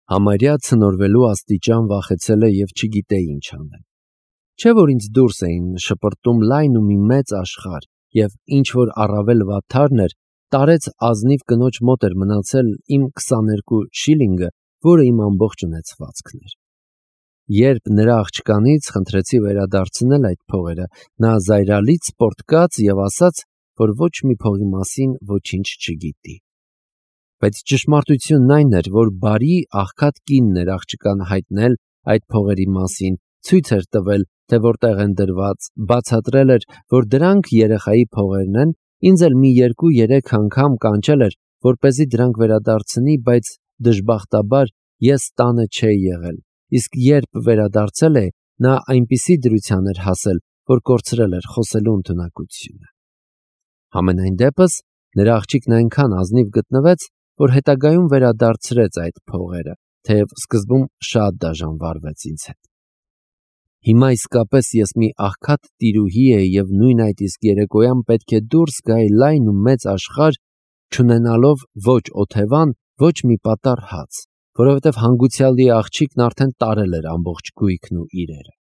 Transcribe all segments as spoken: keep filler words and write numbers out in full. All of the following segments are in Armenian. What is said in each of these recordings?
Համարյա ցնորվելու աստիճան վախեցել է և չգիտե ինչ անել։ Չէ՞ որ ինձ դուրս էին շպրտում լայն ու մի մեծ աշխարհ, և ինչ-որ առավել վատթարն էր, տարեց ազնիվ կնոջ մոտ էր մնացել իմ քսաներկու շիլինգը, որը իմ ամբողջ ունեցվածքն էր։ Երբ նրա աղջկանից խնդրեցի վերադարձնել այդ փողերը, նա զայրալից պոռթկաց և ասաց, որ ոչ մի փողի մասին ոչինչ չգիտի։ Բայց ճշմարտությունն այն էր, որ բարի աղքատ կինն էր աղջկան հայտնել այդ փողերի մասին, ցույց էր տվել, թե որտեղ են դրված, բացատրել էր, որ դրանք երեխայի փողերն են, ինձ էլ մի երկու-երեք անգամ կանչել էր, որպեսզի դրանք վերադարձնի, բայց դժբախտաբար ես տանը չէի եղել, իսկ երբ վերադարձել է, նա այնպիսի դրության էր հասել, որ կորցրել էր խոսելու ընդունակությունը։ Համենայն դեպս, նրա աղջիկն այնքան ազնիվ գտնվեց, որ հետագայում վերադարձրեց այդ փողերը, թեև սկզբում շատ դաժանվարվեց ինձ հետ։ Հիմա իսկապես ես մի աղքատ տիրուհի էի և նույն այդ իսկ երեկոյան պետք է դուրս գայի լայն ու մեծ աշխարհ, չունենալով ոչ օթևան, ոչ մի պատառ հաց, որովհետև հանգուցյալի աղջիկն արդեն տարել էր ամբողջ գույքն ու իրերը։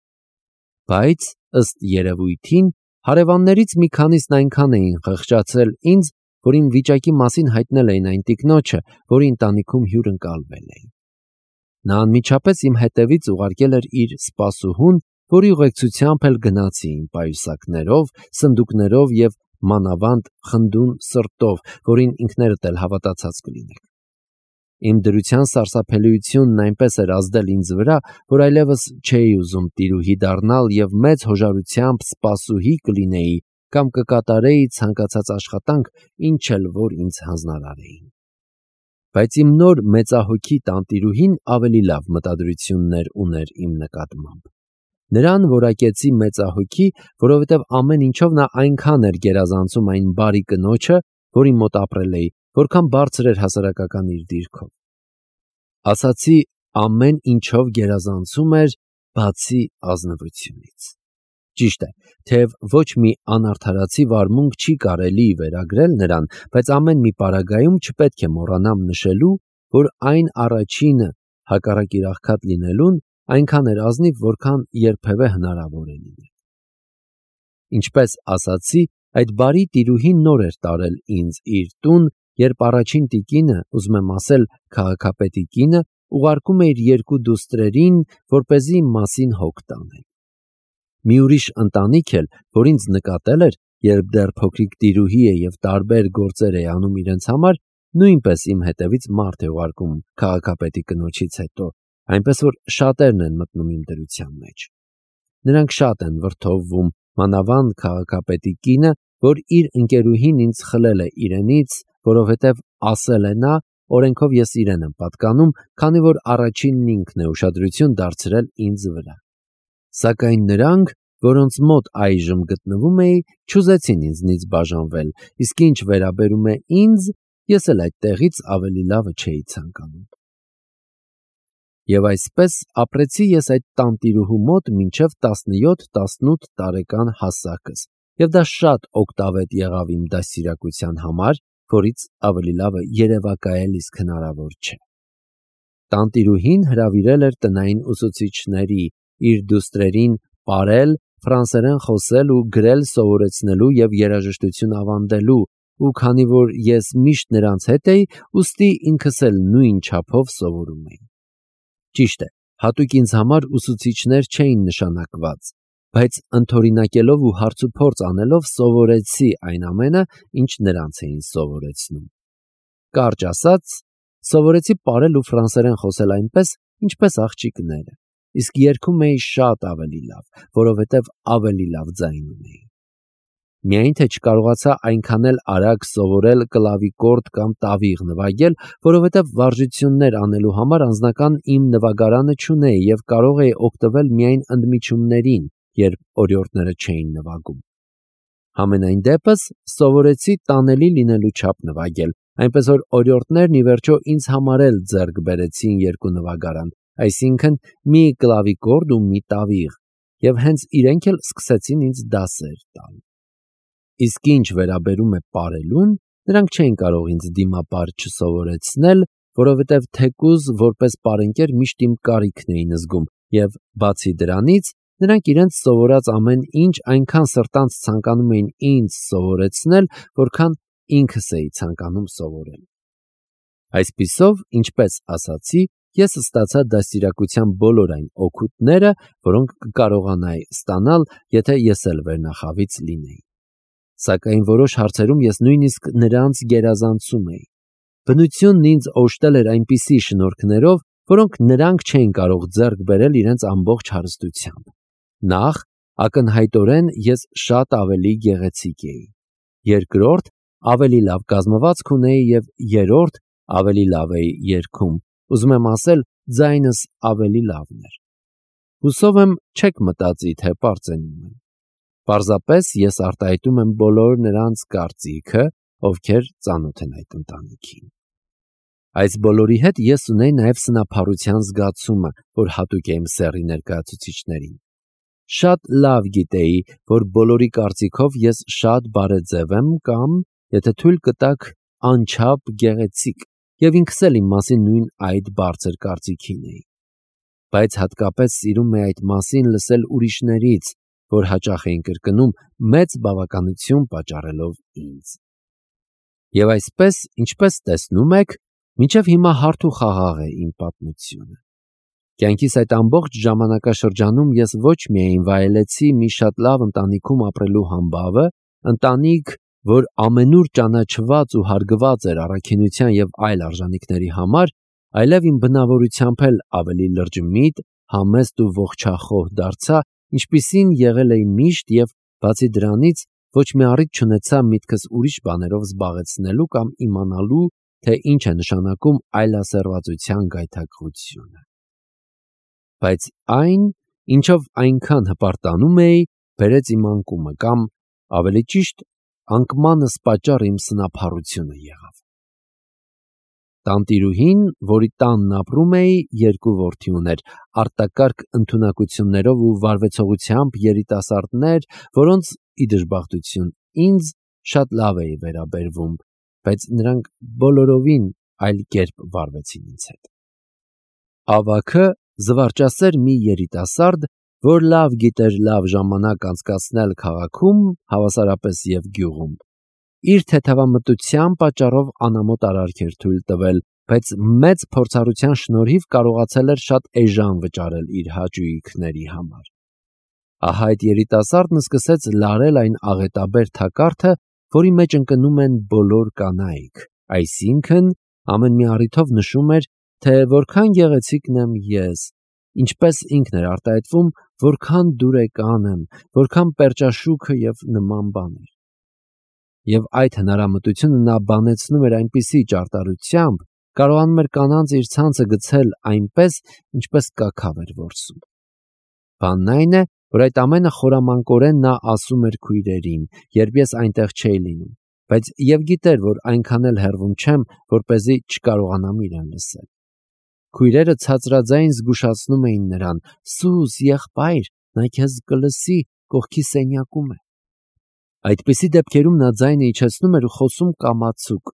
Բայց, ըստ երևույթին, հարևաններից մի քանիսն այնքան էին խղճացրել ինձ, որ իմ վիճակի մասին հայտնել էին այն տիկնոջը, որի ընտանիքում հյուրընկալվել էի։ Նա անմիջապես իմ հետևից ուղարկել էր իր սպասուհուն, որի ուղեկցությամբ էլ գնացի իմ պայուսակներով, սնդուկներով և մանավանդ խնդուն սրտով, որին ինքներդ էլ հավատացած կլինեք։ Իմ դրության սարսափելիությունն այնպես էր ազդել ինձ վրա, որ այլևս չէի ուզում տիրուհի դառնալ և մեծ հոժարությամբ սպասուհի կլինեի կամ կկատարեի ցանկացած աշխատանք, ինչ էլ որ ինձ հանձնարարեին։ Բայց իմ նոր մեծահոգի տանտիրուհին ավելի լավ մտադրություններ ուներ իմ նկատմամբ։ Նրան որակեցի մեծահոգի, որովհետև ամեն ինչով նա այնքան էր գերազանցում այն բարի կնոջը, որի մոտ ապրել էի, որքան բարձր էր հասարակական իր դիրքով։ Ասացի, ամեն ինչով գերազանցում էր, բացի ազնվությունից։ Ճիշտ է, թեև ոչ մի անարդարացի վարմունք չի կարելի վերագրել նրան, բայց ամեն մի պարագայում չպետք է մոռանամ նշելու, որ այն առաջինը, հակառակ իր աղքատ լինելուն, այնքան էր ազնիվ, որքան երբևէ հնարավոր է լինել։ Ինչպես ասացի, այդ բարի տիրուհին նոր էր տարել ինձ իր տուն, երբ առաջին տիկինը, ուզում եմ ասել քաղաքապետի կինը, ուղարկում է իր երկու դուստրերին, որպեսզի իմ մասին հոգ տանեն։ Մի ուրիշ ընտանիք էլ, որ ինձ նկատել էր, երբ դեռ փոքրիկ տիրուհի է և տարբեր գործեր է անում իրենց համար, նույնպես իմ հետևից մարդ է ուղարկում քաղաքապետի կնոջից հետո, այնպես որ շատերն են մտնում իմ դրության մեջ։ Նրանք շատ են վրդովվում, մանավանդ քաղաքապետի կինը, որ իր ընկերուհին ինձ խլել է իրենից, որովհետև ասել է նա, օրենքով ես իրեն եմ պատկանում, քանի որ առաջինն ինքն է ուշադրություն դարձրել ինձ վրա։ Սակայն նրանք, որոնց մոտ այժմ գտնվում էի, չուզեցին ինձնից բաժանվել, իսկ ինչ վերաբերում է ինձ, ես էլ այդ տեղից ավելի լավը չէի ցանկանում։ Եվ այսպես ապրեցի ես այդ տանտիրուհու մոտ մինչև տասնյոթ-տասնութ տարեկան հասակս, և դա շատ օգտավետ եղավ իմ դաստիարակության համար, որից ավելի լավը երևակայել իսկ հնարավոր չէ։ Տանտիրուհին հրավիրել էր տնային ուսուցիչների, իր դուստրերին պարել, ֆրանսերեն խոսել ու գրել սովորեցնելու և երաժշտություն ավանդելու, ու քանի որ ես միշտ նրանց հետ էի, ուստի ինքս էլ նույն չափով սովորում էի։ Ճիշտ է, հատուկ ինձ համար ուսուցիչներ չէին նշանակված, բայց ընդօրինակելով ու հարցուփորձ անելով սովորեցի այն ամենը, ինչ նրանց էին սովորեցնում։ Կարճ ասած, սովորեցի պարել ու ֆրանսերեն խոսել այնպես, ինչպես աղջիկները, իսկ երգում էի շատ ավելի լավ, որովհետև ավելի լավ ձայն ունեի։ Միայն թե չկարողացա այնքան էլ արագ սովորել կլավիկորդ կամ տավիղ նվագել, որովհետև վարժություններ անելու համար անձնական իմ նվագարանը չունեի և կարող էի օգտվել միայն ընդմիջումներին, երբ օրիորդները չէին նվագում։ Համենայն դեպս սովորեցի տանելի լինելու չափ նվագել, այնպես որ օրիորդներն ի վերջո ինձ համար էլ ձեռք բերեցին երկու նվագարան, այսինքն մի կլավիկորդ ու մի տավիղ, և հենց իրենք էլ սկսեցին ինձ դասեր տալ։ Իսկ ինչ վերաբերում է պարելուն, նրանք չէին կարող ինձ դիմապար չսովորեցնել, որովհետև թեկուզ որպես պարենկեր միշտ իմ կարիքն էին զգում, և բացի դրանից, նրանք իրենց սովորած ամեն ինչ այնքան սրտանց ցանկանում էին ինձ սովորեցնել, որքան ինքս էի ցանկանում սովորել։ Այսպիսով, ինչպես ասացի, ես ստացա դաստիարակության բոլոր այն օգուտները, որոնք կկարողանայի ստանալ, եթե ես էլ վերնախավից լինեի։ Սակայն որոշ հարցերում ես նույնիսկ նրանց գերազանցում էի։ Բնությունն ինձ օժտել էր այնպիսի շնորհքներով, որոնք նրանք չէին կարող ձեռք բերել իրենց ամբողջ հարստությամբ։ Նախ, ակնհայտորեն ես շատ ավելի գեղեցիկ էի։ Երկրորդ, ավելի լավ կազմվածք ունեի և երրորդ, ավելի լավ էի երգում, ուզում եմ ասել, ձայնս ավելի լավն էր։ Հուսով եմ չեք մտածի, թե պարծենում եմ։ Պարզապես ես արտահայտում եմ բոլոր նրանց կարծիքը, ովքեր ծանոթ են այդ ընտանիքին։ Այս բոլորի հետ ես ունեի նաև սնափառության զգացումը, որ հատուկ է իմ սեռի ներկայացուցիչներին։ Շատ լավ գիտեի, որ բոլորի կարծիքով ես շատ բարեձև եմ կամ, եթե թույլ կտաք, անչափ գեղեցիկ, և ինքս էլ իմ մասին նույն այդ բարձր կարծիքին էի։ Բայց հատկապես սիրում էի այդ մասին լսել ուրիշներից, որ հաճախ էին կրկնում, մեծ բավականություն պատճառելով ինձ։ Եվ այսպես, ինչպես տեսնում եք, մինչև հիմա հարթ ու խաղաղ է իմ պատմությունը։ Կյանքիս այդ ամբողջ ժամանակաշրջանում ես ոչ միայն վայելեցի մի շատ լավ ընտանիքում ապրելու համբավը, ընտանիք, որ ամենուր ճանաչված ու հարգված էր առաքինության և այլ արժանինքների համար, այլև իմ բնավորությամբ էլ ավելի լրջմիտ, համեստ ու ողջախոհ դարձա, ինչպիսին եղել էի միշտ և, բացի դրանից, ոչ մի առիթ չունեցա միտքս ուրիշ բաներով զբաղեցնելու կամ իմանալու, թե ինչ է նշանակում այլասեռվածության գայթակղությունը։ Բայց այն, ինչով այնքան հպարտանում էի, բերեց իմ անկումը կամ, ավելի ճիշտ, անկմանս պատճառը իմ սնափառությունը եղավ։ Տանտիրուհին, որի տանն ապրում էի, երկու որդի ուներ, արտակարգ ընդունակություններով ու վարվեցողությամբ երիտասարդներ, որոնց, ի դժբախտություն, ինձ շատ լավ էի վերաբերվում, բայց նրանք բոլորովին այլ կերպ վարվեցին ինձ հետ։ Ավագը զվարճասեր մի երիտասարդ, որ լավ գիտեր լավ ժամանակ անցկացնել քաղաքում, հավասարապես և գյուղում, իր թեթևամտության պատճառով անամոթ արարք էր թույլ տվել, բայց մեծ փորձառության շնորհիվ կարողացել էր շատ էժան վճարել իր հաճույքների համար։ Ահա այդ երիտասարդն սկսեց լարել այն աղետաբեր թակարդը, որի մեջ ընկնում են բոլոր կանայք, այսինքն ամեն մի առիթով նշում էր, թե որքան գեղեցիկն եմ ես, ինչպես ինքն էր արտահայտվում, որքան դուրեկան եմ, որքան պերճաշուքը և նման բաներ։ Եվ այդ հնարամտությունը նա բանեցնում էր այնպիսի ճարտարությամբ, կարողանում էր կանանց իր ցանցը գցել այնպես, ինչպես կաքավ էր որսում։ Բանն այն է, որ այդ ամենը խորամանկորեն նա ասում էր քույրերին, երբ ես այնտեղ չէի լինում, բայց և գիտեր, որ այնքան էլ հեռվում չեմ, որպեսզի չկարողանամ իրեն լսել։ Քույրերը ցածրաձայն զգուշացնում էին նրան. «Սուս, եղբայր, նա քեզ կլսի, կողքի սենյակում է»։ Այդպիսի դեպքերում նա ձայնը իջեցնում էր ու խոսում կամացուկ,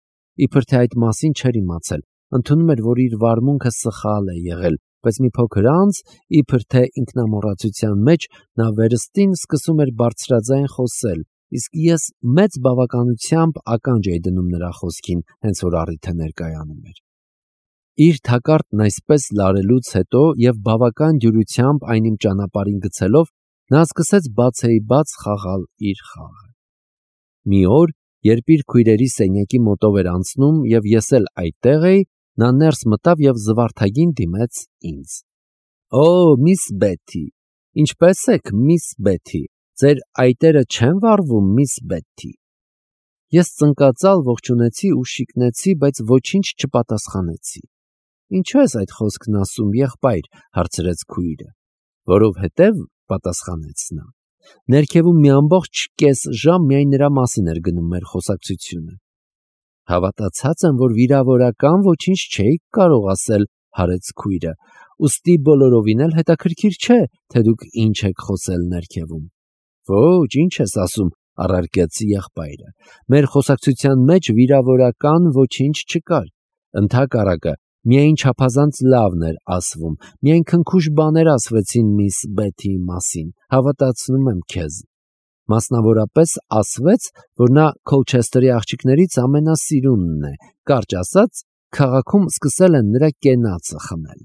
իբր թե այդ մասին չէր իմացել, ընդունում էր, որ իր վարմունքը սխալ է եղել, բայց մի փոքր անց, իբր թե ինքնամոռացության մեջ, նա վերստին սկսում էր բարձրաձայն խոսել, իսկ ես մեծ բավականությամբ ականջ էի դնում նրա խոսքին, հենց որ առիթը ներկայանում էր։ Իր թակարդն այսպես լարելուց հետո և բավական դյուրությամբ այն իմ ճանապարհին գցելով, նա սկսեց բացեիբաց խաղալ իր խաղը։ Մի օր, երբ իր քույրերի սենյակի մոտով էր անցնում և ես էլ այդտեղ էի, նա ներս մտավ և զվարթագին դիմեց ինձ. «Օ, միս Բեթի, ինչպե՞ս եք, միս Բեթի, ձեր այտերը չեն վառվում, միս Բեթի»։ Ես ծնկածալ ողջունեցի ու շիկնեցի, բայց ոչինչ չպատասխանեցի։ «Ինչո՞ւ ես այդ խոսքն ասում, եղբայր», հարցրեց քույրը։ «Որովհետև», պատասխանեց նա, «ներքևում մի ամբողջ կես ժամ միայն նրա մասին էր գնում մեր խոսակցությունը»։ «Հավատացած եմ, որ վիրավորական ոչինչ չէիք կարող ասել», հարեց քույրը, «ուստի բոլորովին էլ հետաքրքիր չէ, թե դուք ինչ եք խոսել ներքևում»։ «Ոչ, ինչ ես ասում», առարկեց եղբայրը, «մեր խոսակցության մեջ վիրավորական ոչինչ չկար, ընդհակառակը, Միայն չափազանց լավն էր ասվում, միայն քնքուշ բաներ ասվեցին միս Բեթիի մասին, հավատացնում եմ քեզ։ Մասնավորապես ասվեց, որ նա Քոլչեսթերի աղջիկներից ամենասիրունն է, կարճ ասած, քաղաքում սկսել են նրա կենացը խմել։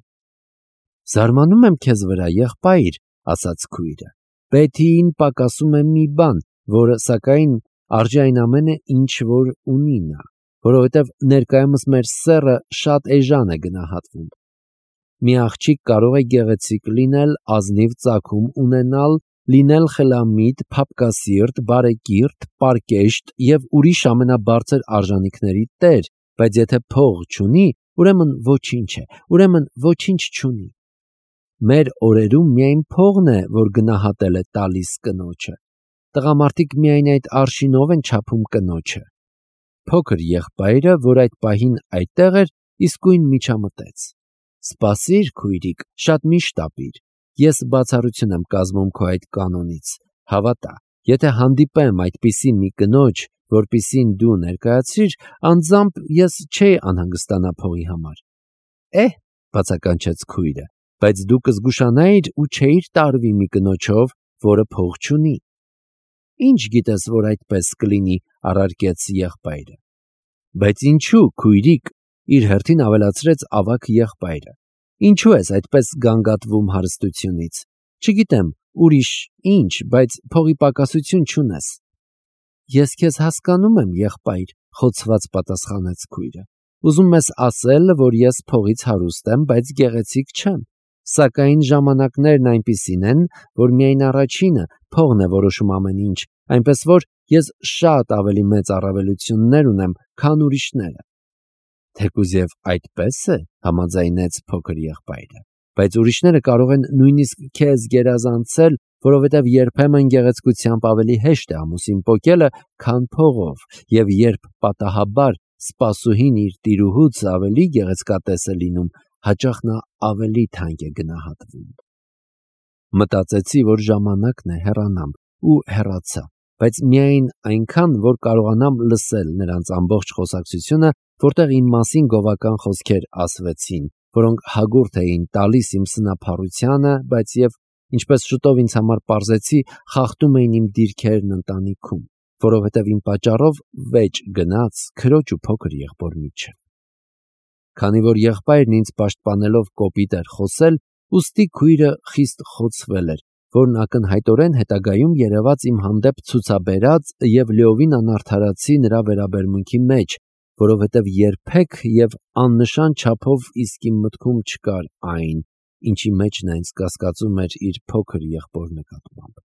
Զարմանում եմ քեզ վրա, եղբայր, ասաց քույրը։ Բեթիին պակասում է մի բան, որը սակայն արժի այն ամենը, ինչ որ ունի նա, որովհետև ներկայումս մեր սեռը շատ էժան է գնահատվում։ Մի աղջիկ կարող է գեղեցիկ լինել, ազնիվ ծագում ունենալ, լինել խելամիտ, փափկասիրտ, բարեկիրթ, պարկեշտ և ուրիշ ամենաբարձր արժանիքների տեր, բայց եթե փող չունի, ուրեմն ոչինչ է, ուրեմն ոչինչ չունի։ Մեր օրերում միայն փողն է, որ գնահատել է տալիս կնոջը։ Տղամարդիկ միայն այդ արշինով են չափում կնոջը։ Փոքր եղբայրը, որ այդ պահին այդտեղ էր, իսկույն միջամտեց։ Սպասիր, քույրիկ, շատ մի շտապիր։ Ես բացառություն եմ կազմում քո այդ կանոնից։ Հավատա, եթե հանդիպեմ այդպիսի մի կնոջ, որպիսին դու ներկայացրիր, անձամբ ես չէի անհանգստանա փողի համար։ Էհ, բացականչեց քույրը, բայց դու կզգուշանայիր ու չէիր տարվի մի կնոջով, որը փող չունի։ Ինչ գիտես, որ այդպես կլինի, առարկեց եղբայրը։ Բայց ինչու, քույրիկ, իր հերթին ավելացրեց ավագ եղբայրը։ Ինչու ես այդպես գանգատվում հարստությունից։ Չգիտեմ, ուրիշ ինչ, բայց փողի պակասություն չունես։ Ես քեզ հասկանում եմ, եղբայր, խոցված պատասխանեց քույրը։ Ուզում ես ասել, որ ես փողից հարուստ եմ, բայց գեղեցիկ չեմ։ Սակայն ժամանակներն այնպիսին են, որ միայն առաջինը փողն է որոշում ամեն ինչ, այնպես որ ես շատ ավելի մեծ առավելություններ ունեմ, քան ուրիշները։ Թեկուզ և այդպես է, համաձայնեց փոքր եղբայրը, բայց ուրիշները կարող են նույնիսկ քեզ գերազանցել, որովհետև երբեմն գեղեցկությամբ ավելի հեշտ է ամուսին պոկելը, քան փողով, և երբ պատահաբար սպասուհին իր տիրուհուց ավելի գեղեցկատես է լինում, հաճախ նա ավելի թանկ է գնահատվում։ Մտածեցի, որ ժամանակն է հեռանամ, ու հեռացա, բայց միայն այնքան, որ կարողանամ լսել նրանց ամբողջ խոսակցությունը, որտեղ իմ մասին գովական խոսքեր ասվեցին, որոնք հագուրդ էին տալիս իմ սնափառությանը, բայց և, ինչպես շուտով ինձ համար պարզեցի, խախտում էին իմ դիրքերն ընտանիքում, որովհետև իմ պատճառով վեճ գնաց քրոջ ու փոքր եղբոր միջև։ Քանի որ եղբայրն ինձ պաշտպանելով կոպիտ էր խոսել, ուստի քույրը խիստ խոցվել էր, որն ակնհայտորեն հետագայում երևաց իմ հանդեպ ցուցաբերած և լիովին անարդարացի նրա վերաբերմունքի մեջ, որովհետև երբեք և աննշան չափով իսկ իմ մտքում չկար այն, ինչի մեջ նա ինձ կասկածում էր իր փոքր եղբոր նկատմամբ։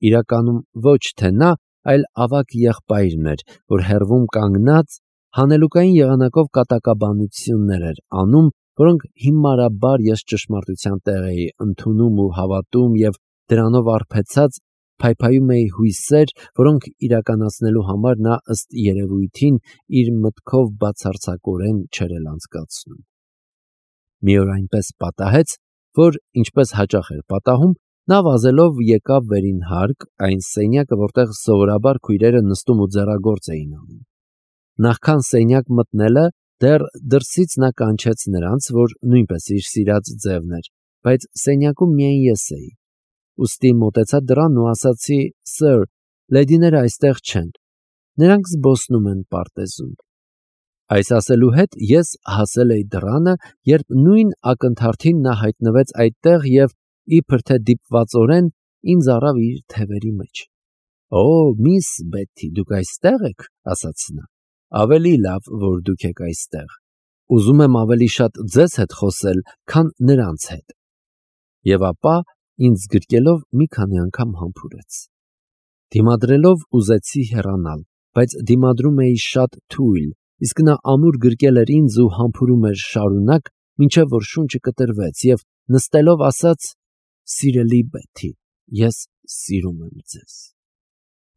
Իրականում ոչ թե նա, այլ ավագ եղբայրն էր, որ հեռվում կանգնած հանելուկային եղանակով կատակաբանություններ էր անում, որոնք հիմարաբար ես ճշմարտության տեղ էի ընդունում ու հավատում և դրանով արբեցած փայփայում էի հույսեր, որոնք իրականացնելու համար նա ըստ երևույթին իր մտքով բացարձակորեն չէր էլ անցկացնում։ Մի օր այնպես պատահեց, որ, ինչպես հաճախ էր պատահում, նա վազելով եկավ վերին հարկ, այն սենյակը, որտեղ սովորաբար քույրերը նստում ու ձեռագործ էին անում։ Նախքան սենյակ մտնելը, դեռ դրսից նա կանչեց նրանց, որ նույնպես իր սիրած ձևն էր, բայց սենյակում միայն ես էի։ Ուստի մոտեցա դռանն ու ասացի. «Սըր, լեդիները այստեղ չեն, նրանք զբոսնում են պարտեզում»։ Այս ասելու հետ ես հասել էի դռանը, երբ նույն ակնթարթին նա հայտնվեց այդտեղ և, իբր թե դիպվածորեն, ինձ առավ իր թևերի մեջ։ «Օ, միս Բեթի, դուք այստեղ եք», ասաց նա։ «Ավելի լավ, որ դուք եք այստեղ։ Ուզում եմ ավելի շատ ձեզ հետ խոսել, քան նրանց հետ»։ Եվ ապա, ինձ գրկելով, մի քանի անգամ համբուրեց։ Դիմադրելով ուզեցի հեռանալ, բայց դիմադրում էի շատ թույլ, իսկ նա ամուր գրկել էր ինձ ու համբուրում էր շարունակ, մինչև որ շունչը կտրվեց, և նստելով ասաց. «Սիրելի Բեթի, ես սիրում եմ ձեզ»։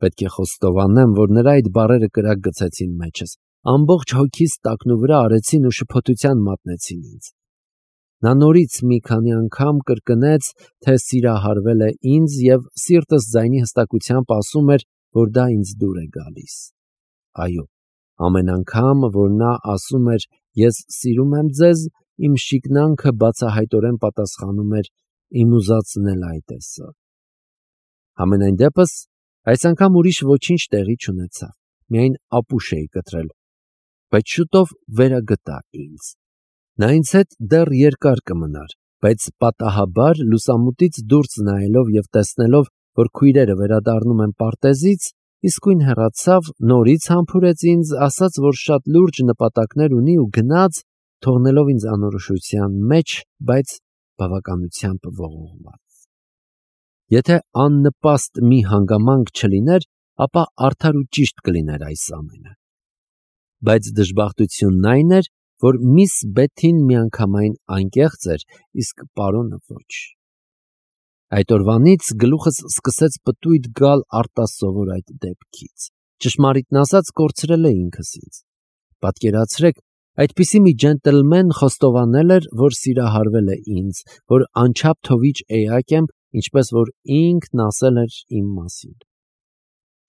Պետք է խոստովանեմ, որ նրա այդ բառերը կրակ գցեցին մեջս, ամբողջ հոգիս տակնուվրա արեցին ու շփոթության մատնեցին ինձ։ Նա նորից մի քանի անգամ կրկնեց, թե սիրահարվել է ինձ և սիրտս ձայնի հստակությամբ ասում էր, որ դա ինձ դուր է գալիս։ Այո, Ամեն անգամ, որ նա ասում էր «Ես սիրում եմ ձեզ», իմ շիկնանքը բացահայտորեն պատասխանում էր «Իմ ուզածն էլ այդ է սա»։ Համենայն դեպս, այս անգամ ուրիշ ոչինչ տեղի չունեցավ, միայն ապուշ էի կտրել, բայց շուտով վերագտա ինձ։ Նա ինձ հետ դեռ երկար կմնար, բայց պատահաբար լուսամուտից դուրս նայելով և տեսնելով, որ քույրերը վերադառնում են պարտեզից, իսկույն հեռացավ, նորից համբուրեց ինձ, ասաց, որ շատ լուրջ նպատակներ ունի ու գնաց, թողնելով ինձ անորոշության մեջ, բայց բավականությամբ ողողված։ Եթե աննպաստ մի հանգամանք չլիներ, ապա արդար ու ճիշտ կլիներ այս ամենը։ Բայց դժբախտությունն այն էր, որ միս Բեթին միանգամայն անկեղծ էր, իսկ պարոնը ոչ։ Այդ օրվանից գլուխս սկսեց պտույտ գալ արտասովոր այդ դեպքից։ Ճշմարիտն ասած, կորցրել է ինքս ինձ։ Պատկերացրեք, այդպիսի մի ջենտլմեն խոստովանել էր, որ սիրահարվել է ինձ, որ անչափ թովիչ էակ եմ, ինչպես որ ինքն ասել էր իմ մասին։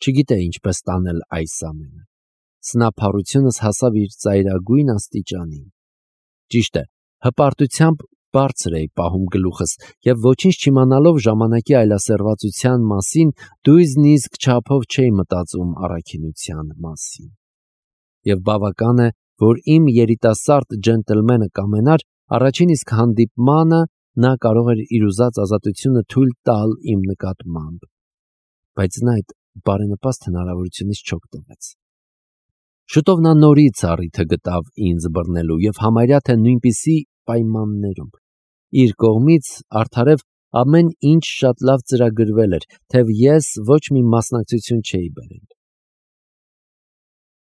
Չգիտեի ինչպես տանել այս ամենը։ Սնափառությունս հասավ իր ծայրագույն աստիճանին։ Ճիշտ է, հպարտությամբ բարձր էի պահում գլուխս և ոչինչ չիմանալով ժամանակի այլասերվածության մասին, նույնիսկ չափով չէի մտածում առաքինության մասին։ Եվ բավական է, որ իմ երիտասարդ ջենտլմենը կամենար, առաջին իսկ հանդիպմանը նա կարող էր իր ուզած ազատությունը թույլ տալ իմ նկատմամբ, բայց նա այդ բարենպաստ հնարավորությունից չօգտվեց։ Շուտով նա նորից առիթը գտավ ինձ բռնելու և համարյա թե նույնպիսի պայմաններում։ Իր կողմից արդարև ամեն ինչ շատ լավ ծրագրվել էր, թեև ես ոչ մի մասնակցություն չէի բերել։